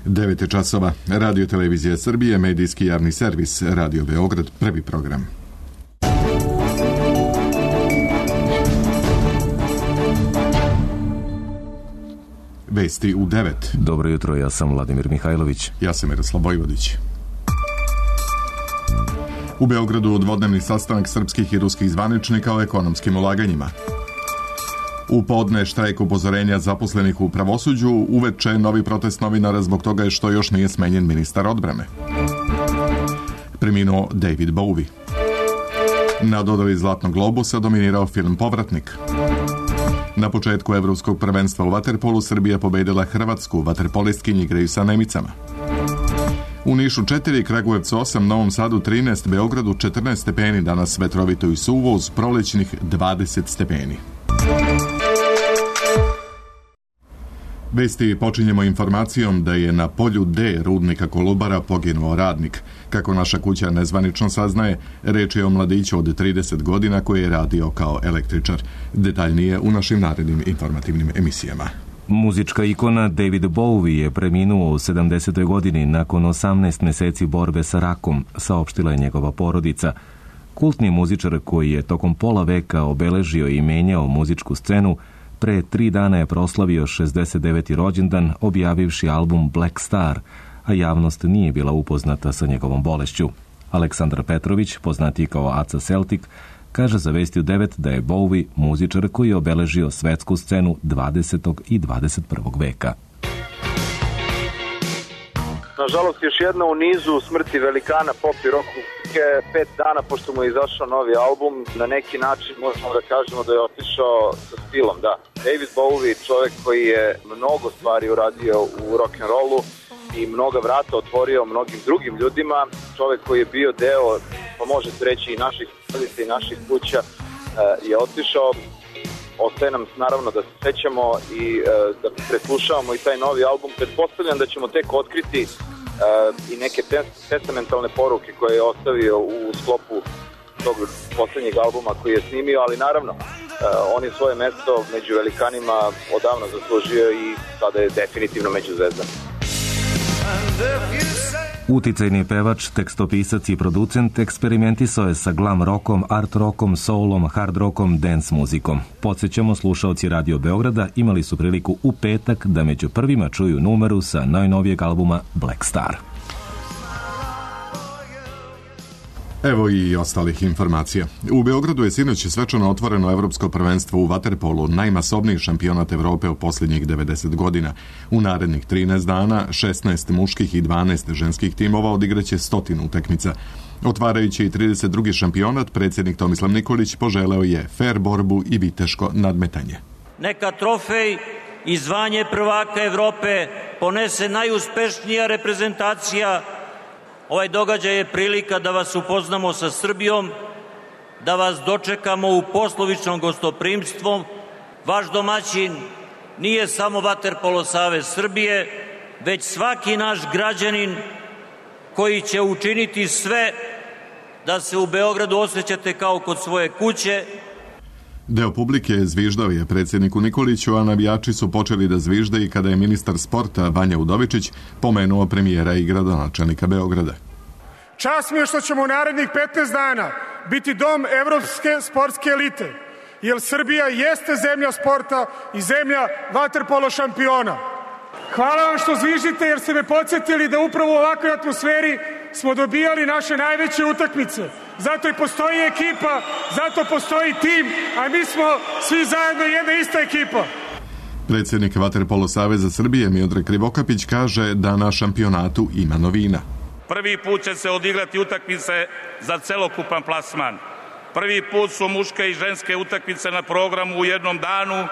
9 časova. Radio Televizija Srbije, medijski javni servis, Radio Beograd, prvi program. Vesti u 9. Dobro jutro, ja sam Vladimir Mihajlović. Ja sam Miroslav Vojvodić. U Beogradu dvodnevni sastanak srpskih i ruskih zvaničnika o ekonomskim ulaganjima. U podne štrajk upozorenja zaposlenih u pravosuđu, uveče novi protest novinara zbog toga što još nije smenjen ministar odbrane. Preminuo David Bowie. Na dodali Zlatnog globusa dominirao film Povratnik. Na početku evropskog prvenstva u vaterpolu Srbija pobedila Hrvatsku, vaterpolistkinji igraju sa Nemicama. U Nišu 4, Kragujevcu 8, Novom Sadu 13, Beogradu 14 stepeni, danas vetrovito i suvo uz prolećnih 20 stepeni. Vesti počinjemo informacijom da je na polju D rudnika Kolubara poginuo radnik. Kako naša kuća nezvanično saznaje, reč je o mladiću od 30 godina koji je radio kao električar. Detaljnije u našim narednim informativnim emisijama. Muzička ikona David Bowie je preminuo u 70. godini nakon 18 meseci borbe sa rakom, saopštila je njegova porodica. Kultni muzičar koji je tokom pola veka obeležio i menjao muzičku scenu, pre 3 dana je proslavio 69. rođendan objavivši album Black Star, a javnost nije bila upoznata sa njegovom bolešću. Aleksandar Petrović, poznatiji kao Aca Celtic, kaže za Vesti u 9 da je Bowie muzičar koji je obeležio svetsku scenu 20. i 21. veka. Nažalost, još jedna u nizu smrti velikana pop i rock muzike. 5 dana pošto mu je izašao novi album, na neki način možemo da kažemo da je otišao sa stilom, da. David Bowie, čovjek koji je mnogo stvari uradio u rock'n'rollu i mnoga vrata otvorio mnogim drugim ljudima, čovjek koji je bio deo, pa možete reći i naših porodica i naših kuća, je otišao. Ostaje nam naravno da se sećamo i da preslušavamo i taj novi album. Pretpostavljam da ćemo tek otkriti i neke testamentalne poruke koje je ostavio u sklopu tog poslednjeg albuma koji je snimio, ali naravno on je svoje mesto među velikanima odavno zaslužio i sada je definitivno među zvezdama. Uticajni pevač, tekstopisac i producent eksperimentisao je sa glam rockom, art rockom, soulom, hard rockom, dance muzikom. Podsjećamo, slušaoci Radio Beograda imali su priliku u petak da među prvima čuju numeru sa najnovijeg albuma Black Star. Evo i ostalih informacija. U Beogradu je sinoć svečano otvoreno evropsko prvenstvo u vaterpolu, najmasovniji šampionat Evrope u posljednjih 90 godina. U narednih 13 dana 16 muških i 12 ženskih timova odigraće 100 utakmica. Otvarajući i 32. šampionat, predsjednik Tomislav Nikolić poželeo je fer borbu i viteško nadmetanje. Neka trofej i zvanje prvaka Evrope ponese najuspešnija reprezentacija. Ovaj događaj je prilika da vas upoznamo sa Srbijom, da vas dočekamo u poslovičnom gostoprimstvu. Vaš domaćin nije samo Vaterpolo savez Srbije, već svaki naš građanin koji će učiniti sve da se u Beogradu osjećate kao kod svoje kuće. Deo publike zviždao je predsjedniku Nikoliću, a navijači su počeli da zvižde i kada je ministar sporta Vanja Udovičić pomenuo premijera i gradonačelnika Beograda. Čast mi je što ćemo u narednih 15 dana biti dom evropske sportske elite, jer Srbija jeste zemlja sporta i zemlja vaterpolo šampiona. Hvala vam što zviždite jer ste me podsjetili da upravo u ovakvoj atmosferi smo dobijali naše najveće utakmice. Zato i postoji ekipa, zato postoji tim, a mi smo svi zajedno jedna ista ekipa. Predsjednik Vaterpolo saveza Srbije Miodrag Krivokapić kaže da na šampionatu ima novina. Prvi put će se odigrati utakmice za celokupan plasman. Prvi put su muške i ženske utakmice na programu u jednom danu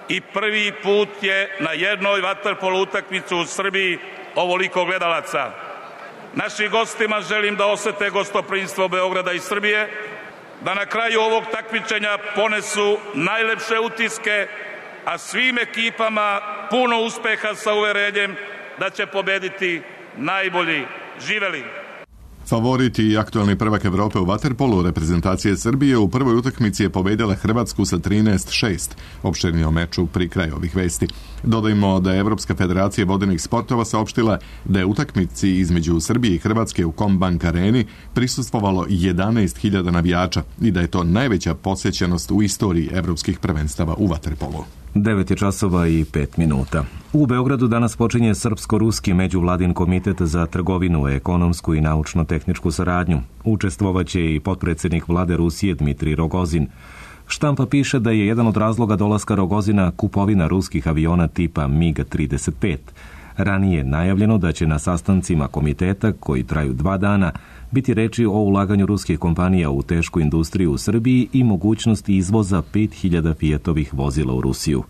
i prvi put je na jednoj vaterpolo utakmici u Srbiji ovoliko gledalaca. Našim gostima želim da osete gostoprimstvo Beograda i Srbije, da na kraju ovog takmičenja ponesu najlepše utiske, a svim ekipama puno uspeha sa uverenjem da će pobediti najbolji. Živeli! Favorit i aktualni prvak Evrope u vaterpolu reprezentacije Srbije u prvoj utakmici je pobedila Hrvatsku sa 13-6. Opširni o meču pri kraju ovih vesti. Dodajmo da je Evropska federacija vodenih sportova saopštila da je utakmici između Srbije i Hrvatske u Combank areni prisustvovalo 11.000 navijača i da je to najveća posjećenost u istoriji evropskih prvenstava u vaterpolu. 9:05. U Beogradu danas počinje Srpsko-ruski međuvladin komitet za trgovinu, ekonomsku i naučno-tehničku saradnju. Učestvovaće i potpredsjednik vlade Rusije Dmitrij Rogozin. Štampa piše da je jedan od razloga dolaska Rogozina kupovina ruskih aviona tipa MiG-35. Ranije je najavljeno da će na sastancima komiteta, koji traju 2 dana, biti reči o ulaganju ruskih kompanija u tešku industriju u Srbiji i mogućnosti izvoza 5.000 Fiatovih vozila u Rusiju.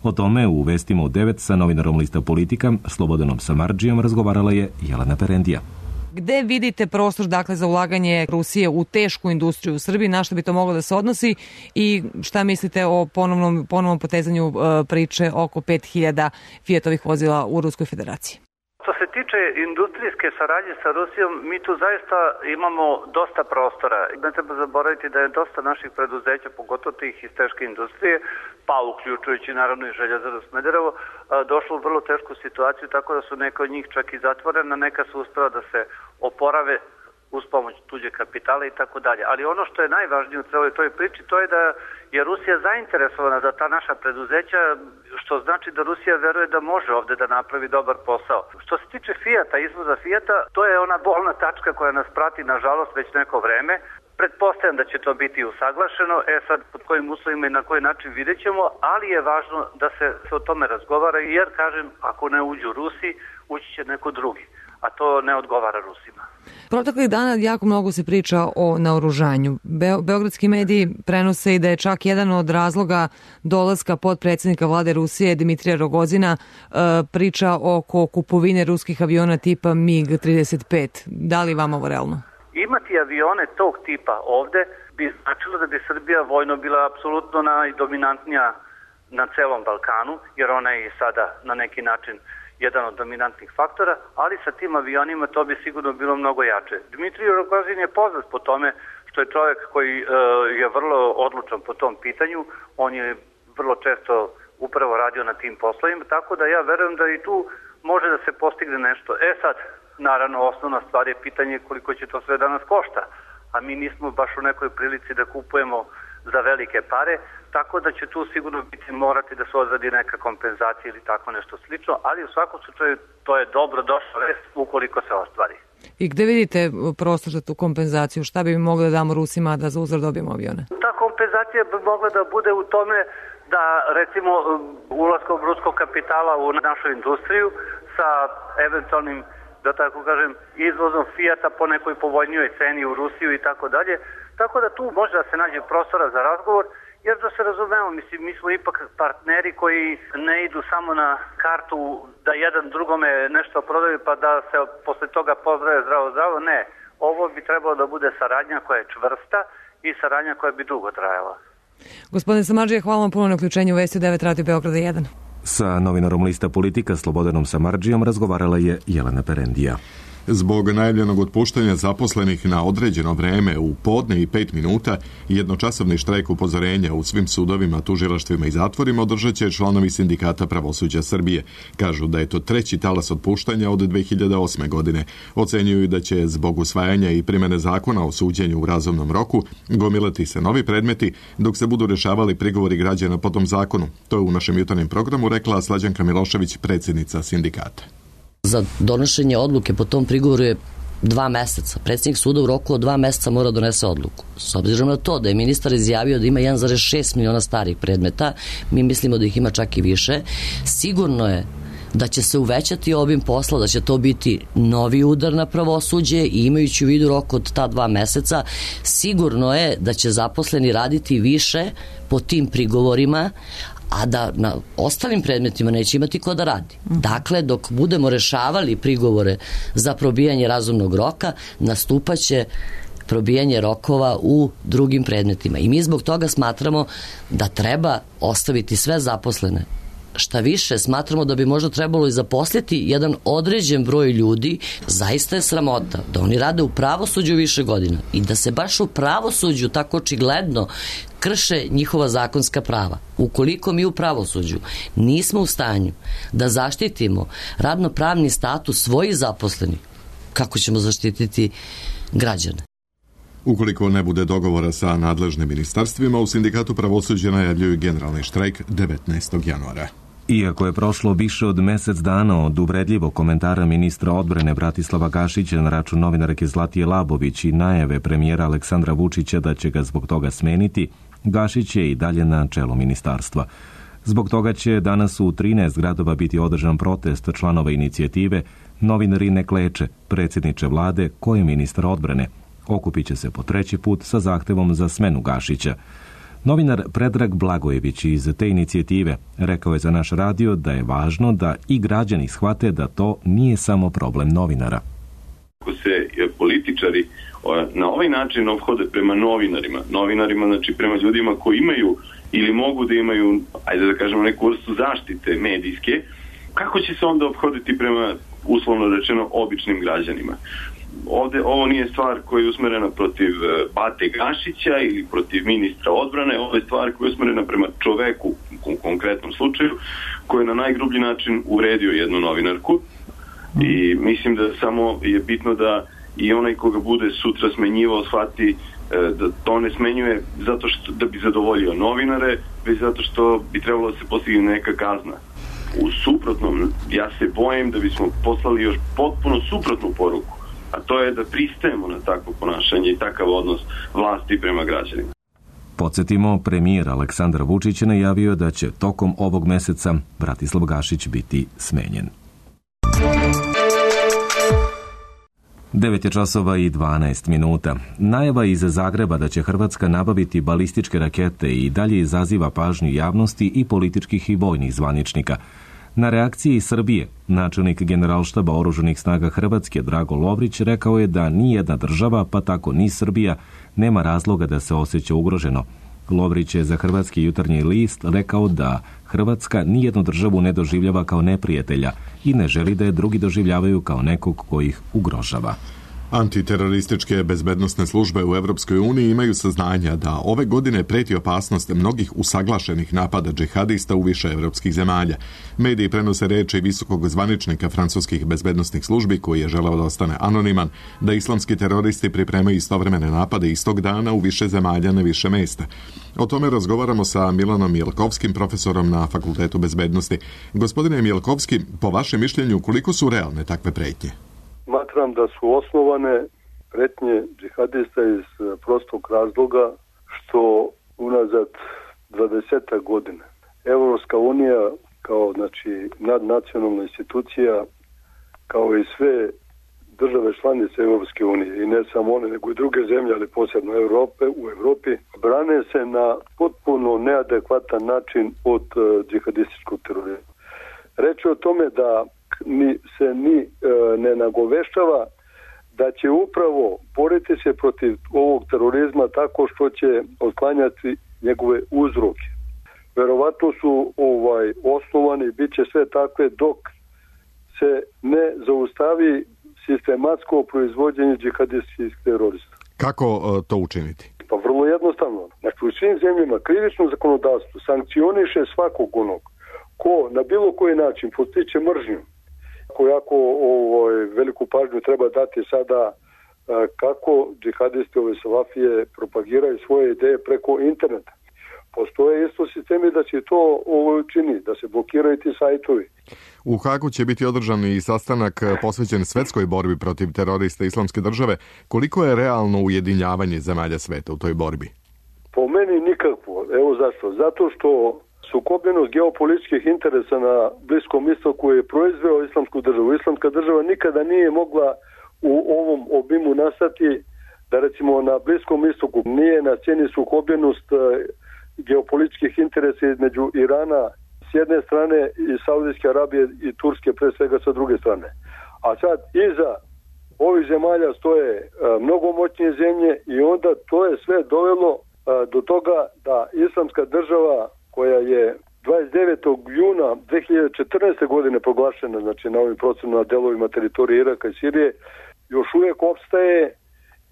O tome u vestima u 9 sa novinarom lista Politika Slobodanom Samardžijom razgovarala je Jelena Perendija. Gde vidite prostor za ulaganje Rusije u tešku industriju u Srbiji, na što bi to moglo da se odnosi i šta mislite o ponovnom potezanju priče oko 5.000 Fiatovih vozila u Ruskoj federaciji? Što se tiče industrijske saradnje sa Rusijom, mi tu zaista imamo dosta prostora. Ne treba zaboraviti da je dosta naših preduzeća, pogotovo tih iz teške industrije, pa uključujući naravno i Željezaru Smederevo, došlo u vrlo tešku situaciju, tako da su neka od njih čak i zatvorena, neka su uspela da se oporave uz pomoć tuđe kapitala i tako dalje. Ali ono što je najvažnije u celoj toj priči, to je da je Rusija zainteresovana da ta naša preduzeća, što znači da Rusija veruje da može ovde da napravi dobar posao. Što se tiče Fiata, izvoza Fiata, to je ona bolna tačka koja nas prati, nažalost, već neko vreme. Pretpostavljam da će to biti usaglašeno, sad pod kojim uslovima i na koji način vidjet ćemo, ali je važno da se o tome razgovara, jer, kažem, ako ne uđu Rusi, ući će neko drugi, a to ne odgovara Rusima. Proteklih dana jako mnogo se priča o naoružanju. Beogradski mediji prenose i da je čak jedan od razloga dolaska potpredsjednika vlade Rusije Dmitrija Rogozina priča oko kupovine ruskih aviona tipa MiG-35. Da li vam ovo realno? Imati avione tog tipa ovde bi značilo da bi Srbija vojno bila apsolutno najdominantnija na celom Balkanu, jer ona je i sada na neki način jedan od dominantnih faktora, ali sa tim avionima to bi sigurno bilo mnogo jače. Dmitrij Rogozin je poznat po tome što je čovjek koji je vrlo odlučan po tom pitanju, on je vrlo često upravo radio na tim poslovima, tako da ja verujem da i tu može da se postigne nešto. Sad, naravno, osnovna stvar je pitanje koliko će to sve danas košta, a mi nismo baš u nekoj prilici da kupujemo za velike pare, tako da će tu sigurno morati da se odradi neka kompenzacija ili tako nešto slično, ali u svakom slučaju to je dobro došla vest ukoliko se ostvari. I gde vidite prostor za tu kompenzaciju? Šta bi mogli da damo Rusima da za uzvrat dobijemo avione? Ta kompenzacija bi mogla da bude u tome da, recimo, ulaskom ruskog kapitala u našu industriju sa eventualnim, da tako kažem, izvozom Fiata po nekoj povoljnijoj ceni u Rusiju i tako dalje. Tako da tu može da se nađe prostora za razgovor, jer da se razumemo, mislim, mi smo ipak partneri koji ne idu samo na kartu da jedan drugome nešto prodaju pa da se posle toga pozdrave zdravo, ne. Ovo bi trebalo da bude saradnja koja je čvrsta i saradnja koja bi dugo trajala. Gospodin Samardžija, hvala vam puno na uključenju u Vesti 9 Radio Beograda 1. Sa novinarom lista Politika Slobodanom Samardžijom razgovarala je Jelena Perendija. Zbog najavljenog otpuštanja zaposlenih na određeno vreme u podne i 5 minuta, jednočasovni štrajk upozorenja u svim sudovima, tužilaštvima i zatvorima održat će članovi Sindikata pravosuđa Srbije. Kažu da je to treći talas otpuštanja od 2008. godine. Ocenjuju da će zbog usvajanja i primene zakona o suđenju u razumnom roku gomilati se novi predmeti dok se budu rešavali prigovori građana po tom zakonu. To je u našem jutarnjem programu rekla Slađanka Milošević, predsjednica sindikata. Za donošenje odluke po tom prigovoru je 2 meseca. Predsjednik suda u roku od 2 meseca mora donese odluku. S obzirom na to da je ministar izjavio da ima 1,6 miliona starih predmeta, mi mislimo da ih ima čak i više, sigurno je da će se uvećati obim posla, da će to biti novi udar na pravosuđe i imajući u vidu rok od ta 2 meseca, sigurno je da će zaposleni raditi više po tim prigovorima, a da na ostalim predmetima neće imati ko da radi. Dakle, dok budemo rešavali prigovore za probijanje razumnog roka, nastupaće probijanje rokova u drugim predmetima. I mi zbog toga smatramo da treba ostaviti sve zaposlene Šta više, smatramo da bi možda trebalo i zaposliti jedan određen broj ljudi. Zaista je sramota da oni rade u pravosuđu više godina i da se baš u pravosuđu tako očigledno krše njihova zakonska prava. Ukoliko mi u pravosuđu nismo u stanju da zaštitimo radno-pravni status svojih zaposlenih, kako ćemo zaštititi građane? Ukoliko ne bude dogovora sa nadležnim ministarstvima, u Sindikatu pravosuđa najavljuju generalni štrajk 19. januara. Iako je prošlo više od mesec dana od uvredljivog komentara ministra odbrane Bratislava Gašića na račun novinarke Zlatije Labović i najave premijera Aleksandra Vučića da će ga zbog toga smeniti, Gašić je i dalje na čelu ministarstva. Zbog toga će danas u 13 gradova biti održan protest članova inicijative Novinari ne kleče, predsjedniče vlade, ko je ministar odbrane. Okupit će se po 3. put sa zahtevom za smenu Gašića. Novinar Predrag Blagojević iz te inicijative rekao je za naš radio da je važno da i građani shvate da to nije samo problem novinara. Ako se političari na ovaj način ophode prema novinarima, znači prema ljudima koji imaju ili mogu da imaju, ajde da kažemo, neku vrstu zaštite medijske, kako će se onda ophoditi prema, uslovno rečeno, običnim građanima? Ovde ovo nije stvar koja je usmerena protiv Bate Gašića ili protiv ministra odbrane, ovo je stvar koja je usmerena prema čoveku u konkretnom slučaju koji je na najgrublji način uvredio jednu novinarku i mislim da samo je bitno da i onaj koga bude sutra smenjivao shvati da to ne smenjuje zato što da bi zadovoljio novinare, već zato što bi trebalo da se postigne neka kazna. U suprotnom, ja se bojim da bismo poslali još potpuno suprotnu poruku, a to je da pristajemo na takvo ponašanje i takav odnos vlasti prema građanima. Podsjetimo, premijer Aleksandar Vučić je najavio da će tokom ovog meseca Bratislav Gašić biti smenjen. 9 časova i 12 minuta. Najava iz Zagreba da će Hrvatska nabaviti balističke rakete i dalje izaziva pažnju javnosti i političkih i vojnih zvaničnika. Na reakciji Srbije, načelnik Generalštaba oružanih snaga Hrvatske Drago Lovrić rekao je da nijedna država, pa tako ni Srbija, nema razloga da se osjeća ugroženo. Lovrić je za Hrvatski jutarnji list rekao da Hrvatska nijednu državu ne doživljava kao neprijatelja i ne želi da je drugi doživljavaju kao nekog ko ih ugrožava. Antiterorističke bezbednosne službe u Evropskoj uniji imaju saznanja da ove godine preti opasnost mnogih usaglašenih napada džihadista u više evropskih zemalja. Mediji prenose reči visokog zvaničnika francuskih bezbednosnih službi koji je želeo da ostane anoniman, da islamski teroristi pripremaju istovremene napade istog dana u više zemalja na više mesta. O tome razgovaramo sa Milanom Mielkovskim, profesorom na Fakultetu bezbednosti. Gospodine Mielkovski, po vašem mišljenju, koliko su realne takve pretnje? Smatram da su osnovane pretnje džihadista iz prostog razloga što unazad 20 godina Evropska unija kao nadnacionalna institucija, kao i sve države članice Evropske unije i ne samo one nego i druge zemlje, ali posebno u Evropi, brane se na potpuno neadekvatan način od džihadističkog terorizma. Reč je o tome da se ne nagoveštava da će upravo boriti se protiv ovog terorizma tako što će otklanjati njegove uzroke. Verovatno su osnovani, bit će sve takve dok se ne zaustavi sistematsko proizvođenje džihadističkih terorista. Kako to učiniti? Pa vrlo jednostavno. Znači, u svim zemljama krivično zakonodavstvo sankcioniše svakog onog ko na bilo koji način postiče mržnju. Jako veliku pažnju treba dati sada kako džihadisti ove salafije propagiraju svoje ideje preko interneta. Postoje isto sistemi da se to čini, da se blokiraju ti sajtovi. U Hagu će biti održan i sastanak posvećen svetskoj borbi protiv terorista Islamske države. Koliko je realno ujedinjavanje zemalja sveta u toj borbi? Po meni nikakvo. Evo zašto? Zato što sukobljenost geopolitičkih interesa na Bliskom istoku je proizveo Islamsku državu. Islamska država nikada nije mogla u ovom obimu nastati da recimo na Bliskom istoku nije na sceni sukobljenost geopolitičkih interesa između Irana s jedne strane i Saudijske Arabije i Turske pre svega sa druge strane. A sad iza ovih zemalja stoje mnogo moćnije zemlje i onda to je sve dovelo do toga da Islamska država koja je 29. juna 2014. godine proglašena, znači na ovim procenama delovima teritorije Iraka i Sirije, još uvijek opstaje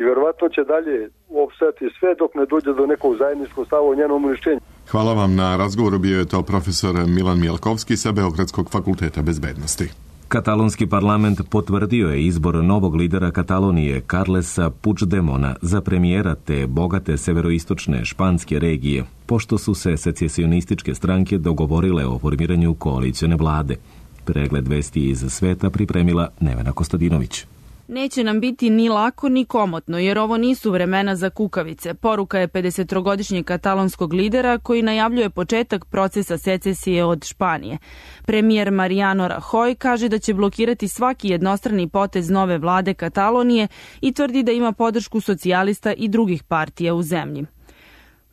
i verovatno će dalje opstajati sve dok ne dođe do nekog zajedničkog stava o njenom uništenju. Hvala vam na razgovoru, bio je to profesor Milan Mijalkovski sa Beogradskog fakulteta bezbednosti. Katalonski parlament potvrdio je izbor novog lidera Katalonije Carlesa Puigdemona za premijera te bogate severoistočne španske regije, pošto su se secesionističke stranke dogovorile o formiranju koalicione vlade. Pregled vesti iz sveta pripremila Nevena Kostadinović. Neće nam biti ni lako ni komotno, jer ovo nisu vremena za kukavice. Poruka je 50-godišnjeg katalonskog lidera koji najavljuje početak procesa secesije od Španije. Premijer Mariano Rajoy kaže da će blokirati svaki jednostrani potez nove vlade Katalonije i tvrdi da ima podršku socijalista i drugih partija u zemlji.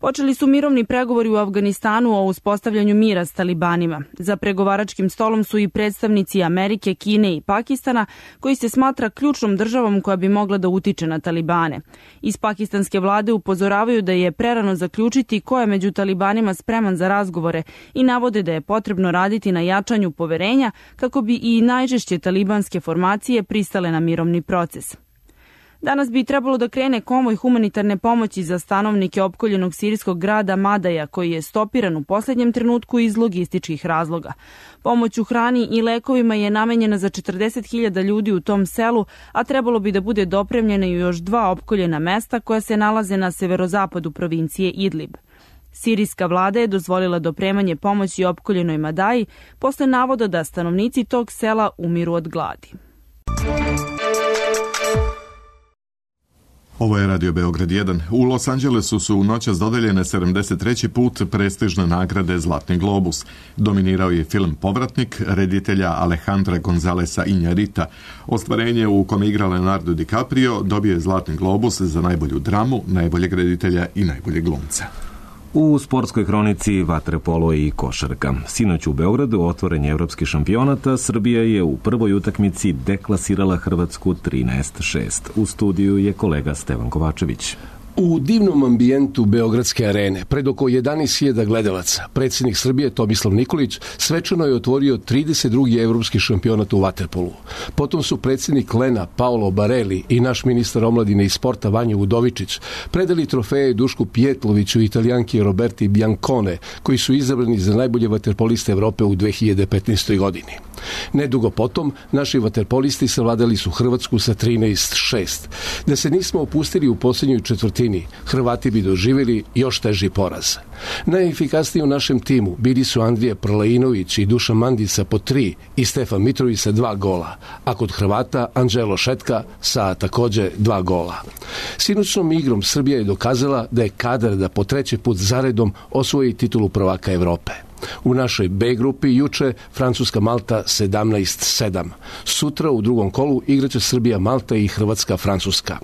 Počeli su mirovni pregovori u Afganistanu o uspostavljanju mira s talibanima. Za pregovaračkim stolom su i predstavnici Amerike, Kine i Pakistana, koji se smatra ključnom državom koja bi mogla da utiče na talibane. Iz pakistanske vlade upozoravaju da je prerano zaključiti ko je među talibanima spreman za razgovore i navode da je potrebno raditi na jačanju poverenja kako bi i najžešće talibanske formacije pristale na mirovni proces. Danas bi trebalo da krene konvoj humanitarne pomoći za stanovnike opkoljenog sirijskog grada Madaja, koji je stopiran u posljednjem trenutku iz logističkih razloga. Pomoć u hrani i lekovima je namenjena za 40.000 ljudi u tom selu, a trebalo bi da bude dopremljena i još 2 opkoljena mesta koja se nalaze na severozapadu provincije Idlib. Sirijska vlada je dozvolila dopremanje pomoći opkoljenoj Madaji posle navoda da stanovnici tog sela umiru od gladi. Ovo je Radio Beograd 1. U Los Angelesu su u noćas dodeljene 73. put prestižne nagrade Zlatni globus. Dominirao je film Povratnik reditelja Alejandra Gonzalesa Iñárrita. Ostvarenje u kome igra Leonardo DiCaprio dobio je Zlatni globus za najbolju dramu, najboljeg reditelja i najboljeg glumca. U sportskoj hronici vaterpolo i košarka. Sinoć u Beogradu otvoren je evropski šampionat, a Srbija je u prvoj utakmici deklasirala Hrvatsku 13-6. U studiju je kolega Stevan Kovačević. U divnom ambijentu Beogradske arene, pred oko 11.000 gledalaca, predsjednik Srbije Tomislav Nikolić svečano je otvorio 32. evropski šampionat u vaterpolu. Potom su predsjednik Lena Paolo Bareli i naš ministar omladine i sporta Vanja Udovičić predali trofeje Dušku Pijetloviću i Italijanki Roberti Biancone, koji su izabrani za najbolje vaterpoliste Evrope u 2015. godini. Nedugo potom, naši vaterpolisti savladali su Hrvatsku sa 13-6. Da se nismo opustili u posljednjoj četvrtini, Hrvati bi doživjeli još teži poraz. Najefikasniji u našem timu bili su Andrija Prlainović i Dušan Mandica po 3 i Stefan Mitrović sa 2 gola, a kod Hrvata Anđelo Šetka sa također 2 gola. Sinoćnom igrom Srbija je dokazala da je kadar da po 3. put zaredom osvoji titulu prvaka Evrope. U našoj B grupi juče Francuska-Malta 17-7. Sutra u drugom kolu igraće Srbija-Malta i Hrvatska-Francuska.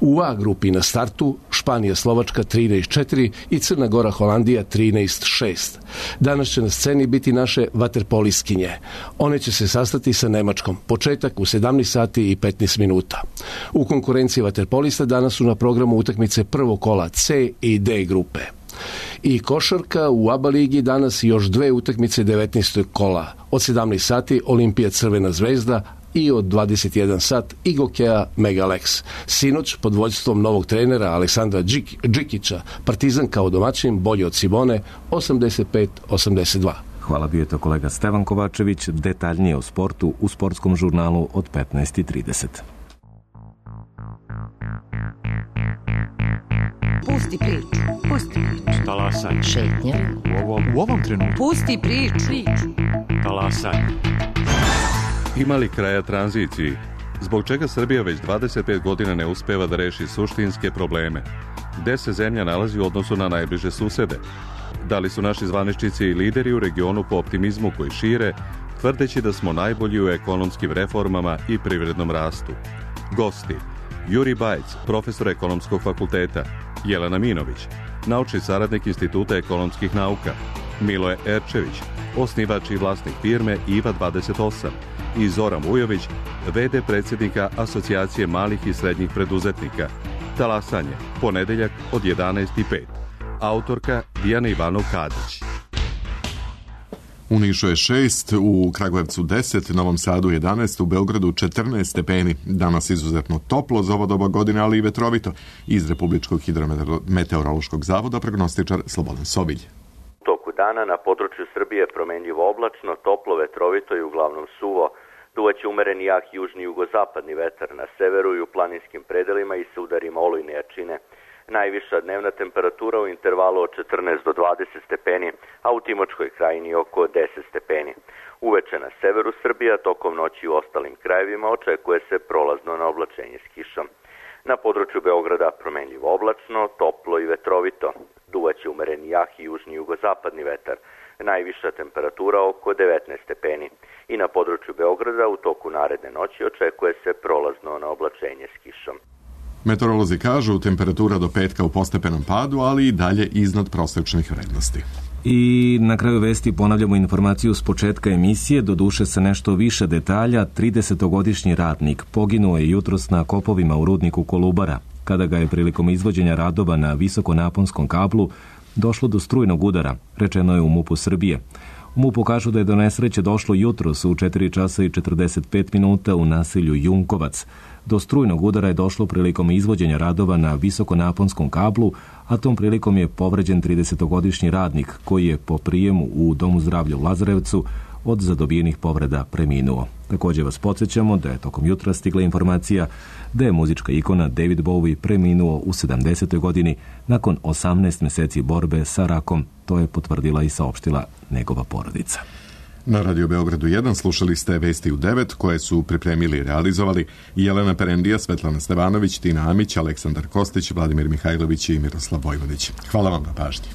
U A grupi na startu Španija-Slovačka 13-4 i Crna Gora-Holandija 13-6. Danas će na sceni biti naše vaterpoliskinje. One će se sastati sa Nemačkom. Početak u 17 sati i 15 minuta. U konkurenciji vaterpolista danas su na programu utakmice prvog kola C i D grupe. I košarka u ABA ligi danas još 2 utakmice 19. kola. Od 17 sati Olimpija Crvena zvezda i od 21 sat Igokea Megalex. Sinoć pod vođstvom novog trenera Aleksandra Džikića Partizan kao domaćin bolje od Cibone 85-82. Hvala, bio je to kolega Stevan Kovačević. Detaljnije o sportu u sportskom žurnalu od 15:30. Pusti priču. Pusti priču. Talasaj. Šetnja. U ovom trenutku. Pusti priču. Talasaj. Ima li kraja tranziciji? Zbog čega Srbija već 25 godina ne uspeva da reši suštinske probleme? Gde se zemlja nalazi u odnosu na najbliže susede? Da li su naši zvaničnici i lideri u regionu po optimizmu koji šire, tvrdeći da smo najbolji u ekonomskim reformama i privrednom rastu? Gosti: Juri Bajc, profesor ekonomskog fakulteta, Jelena Minović, naučni saradnik Instituta ekonomskih nauka, Miloje Erčević, osnivač i vlasnik firme IVA 28 i Zoran Vujović, v.d. predsjednika Asocijacije malih i srednjih preduzetnika. Talasanje, ponedeljak od 11:05. Autorka Dijana Ivanov Kadić. U Nišu je 6, u Kragujevcu 10, Novom Sadu 11, u Beogradu 14 stepeni. Danas izuzetno toplo za ovo doba godine, ali i vetrovito. Iz Republičkog hidrometeorološkog zavoda prognostičar Slobodan Sobilj. U toku dana na području Srbije promenljivo oblačno, toplo, vetrovito i uglavnom suvo. Duvaće umeren jak južni jugozapadni vetar na severu i u planinskim predelima i sa udarima olujne jačine. Najviša dnevna temperatura u intervalu od 14 do 20 stepeni, a u Timočkoj krajini oko 10 stepeni. Uveče na severu Srbija, tokom noći u ostalim krajevima očekuje se prolazno na oblačenje s kišom. Na području Beograda promenljivo oblačno, toplo i vetrovito. Duvaće umeren jak i južni jugozapadni vetar. Najviša temperatura oko 19 stepeni. I na području Beograda u toku naredne noći očekuje se prolazno na oblačenje s kišom. Meteorolozi kažu temperatura do petka u postepenom padu, ali i dalje iznad prosečnih vrednosti. I na kraju vesti ponavljamo informaciju s početka emisije, doduše sa nešto više detalja. 30-godišnji radnik poginuo je jutros na kopovima u rudniku Kolubara, kada ga je prilikom izvođenja radova na visokonaponskom kablu došlo do strujnog udara, rečeno je u MUP-u Srbije. U MUP-u kažu da je do nesreće došlo jutros u 4 časa i 45 minuta u naselju Junkovac. Do strujnog udara je došlo prilikom izvođenja radova na visokonaponskom kablu, a tom prilikom je povređen 30-godišnji radnik koji je po prijemu u Domu zdravlja u Lazarevcu od zadobijenih povreda preminuo. Također vas podsjećamo da je tokom jutra stigla informacija da je muzička ikona David Bowie preminuo u 70. godini nakon 18 mjeseci borbe sa rakom. To je potvrdila i saopštila njegova porodica. Na Radio Beogradu 1 slušali ste Vesti u 9 koje su pripremili i realizovali Jelena Perendija, Svetlana Stevanović, Tina Amić, Aleksandar Kostić, Vladimir Mihajlović i Miroslav Vojvodić. Hvala vam na pažnji.